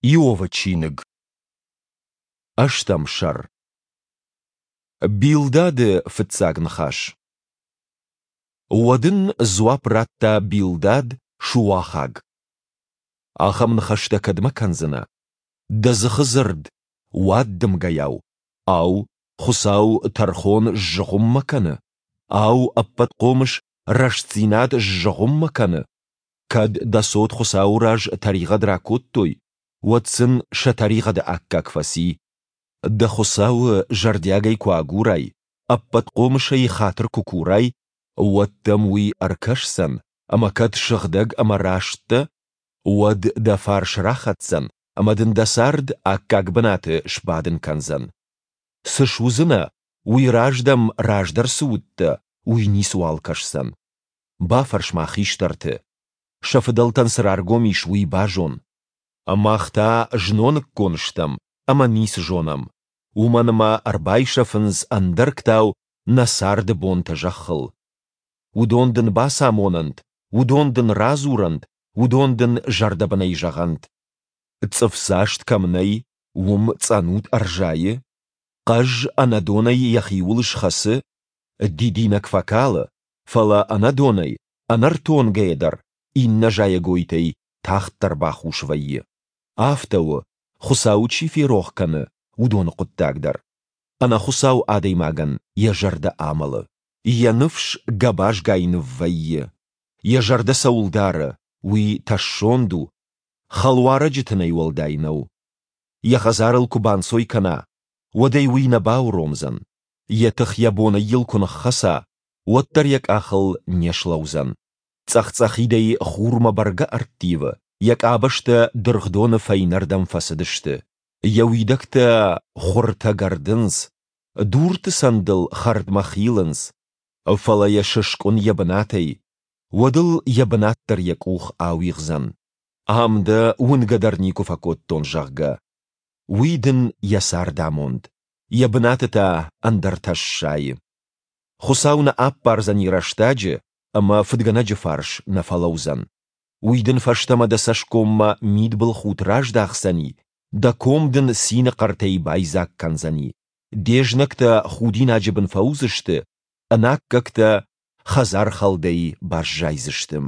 Иовы чиныг. Ӕстӕм сӕр. Билдады фыццаг ныхас. Уӕд ын дзуапп радта Билдад Шуахаг. Ахӕм ныхӕстӕ кӕдмӕ кӕндзынӕ? Дӕ дзыхы дзырд, уаддымгӕйау. Ау, Хуыцау тӕрхон сзыгъуыммӕ кӕны? Ау, Ӕппӕтхъомыс рӕстдзинад сзыгъуыммӕ кӕны? Кӕд дӕ цот Хуыцауы раз тӕригъӕд ракодтой, уӕд сын сӕ тӕригъӕды аккаг фӕци. Дӕ Хуыцауы зӕрдиагӕй куы агурай, Ӕппӕтхъомысӕй хатыр куы курай, уӕд дӕм уый ӕркӕсдзӕн, ӕмӕ кӕд сыгъдӕг ӕмӕ раст дӕ, уӕд дӕ фарс рахӕцдзӕн ӕмӕ дын дӕ цард аккаг бынаты сбадын кӕндзӕн. Цы суыдзынӕ, уый раз дӕм раздӕр цы уыдтӕ, уый ницыуал кӕсдзӕн. Бафӕрс-ма хистӕрты. Сӕ фыдӕлтӕн цы раргом ис, уый базон. Мах та зноныккон стӕм ӕмӕ ницы зонӕм, уымӕн ӕмӕ ӕрбайсӕфынц ӕндӕргтау нӕ царды бонтӕ зӕххыл. Уыдон дын бацамонӕнт, уыдон дын радзурӕнт, уыдон дын зӕрдӕбынӕй зӕгъӕнт. Цъыфдзаст кӕм нӕй, уым цъӕнут ӕрзайы? Хъӕз ӕнӕдонӕй йӕхиуыл схӕцы? Дидинӕг фӕкалы, фӕлӕ ӕнӕдонӕй, ӕнӕртонгӕйӕ дӕр иннӕ зайӕгойтӕй тагъддӕр бахус вӕййы. Афтӕ у, Хуыцауы чи ферох кӕны, уыдоны хъуыддаг дӕр. Ӕнӕхуыцау адӕймагӕн йӕ зӕрдӕ амӕлы. Йӕ ныфс гӕбазгай ныввӕййы. Йӕ зӕрдӕ цӕуыл дары, уый тӕссонд у, хӕлуарӕджы тынӕй уӕлдай нӕу. Йӕ хӕдзарыл куы банцой кӕна, уӕд ӕй уый нӕ бауромдзӕн. Йӕ тых йӕ бонӕй йыл куы ныххӕца, уӕддӕр йӕ къахыл не слӕудзӕн. Цъӕх-цъӕхидӕй хурмӕ бӕргӕ ӕрттивы, йӕ къабӕзтӕ дыргъдоны фӕйнӕрдӕм фӕцыдысты. Йӕ уидӕгтӕ хуыртӕ гӕрдынц, дурты цӕндыл хӕрдмӕ хилынц. Фӕлӕ йӕ сыскъуын йӕ бынатӕй, уӕд ыл йӕ бынат дӕр йӕ къух ауигъдзӕн. Ам дӕ уынгӕ дӕр никуы фӕкодтон, зӕгъгӕ. Уый дын йӕ цардамонд, йӕ бынаты та ӕндӕртӕ ссайы. Хуыцау нӕ аппардзӕни рӕстӕджы ӕмӕ фыдгӕнӕджы фарс нӕ фӕлӕудзӕн. Уый дын фӕстӕмӕ дӕ цӕсгоммӕ мидбылхудт раздахдзӕни, дӕ ком дын цины хъӕртӕй байдзаг кӕндзӕни. Де знӕгтӕ худинаджы бын фӕуыдзысты, ӕнаккӕгтӕ хӕдзархӕлдӕй баззайдзысты.